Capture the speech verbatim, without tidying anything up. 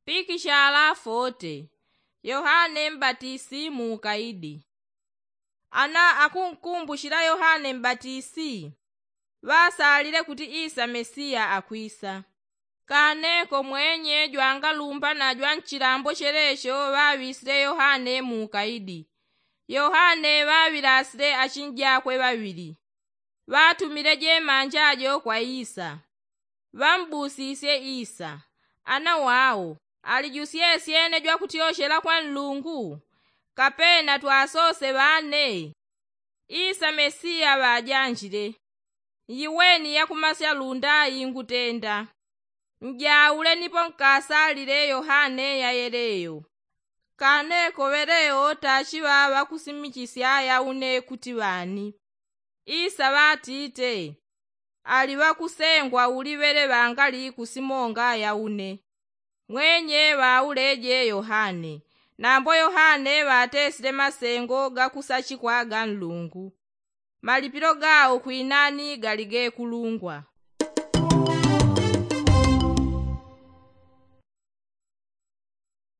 Pikishala fote. Yohane mbatisi muukaidi. Ana akunkumbushila yohane mbatisi ŵasalile kuti isa mesiya akwisa. Kaneko mwenye jwangalumba na jwanchilambo chelecho ŵaŵisile yohane muukaidi. Yohane ŵaŵilasile achinjakwe ŵaŵili. Ŵatumile jemanja jo kwa isa. Ŵambusisye isa, ana wao, ali jusyesye ene jwakutyochela kwa nlungu? Kapena twasose ŵane? Isa mesiya ŵajanjile. Iweni yakumasya lunda ingutenda. Njaule nipo nkasalile yohane yayeleyo. Kaneko ŵelewo tachiŵa ŵakusimichisya yaune kuti ŵani? Isa ŵatite, ali ŵakusengwa uli ŵele ŵangali kusimonga yaune. Mwenye ŵauleje yohane. Nambo yohane ŵatesile masengo gakusachikwa ga nlungu. Malipilo gao kwinani gali gekulungwa.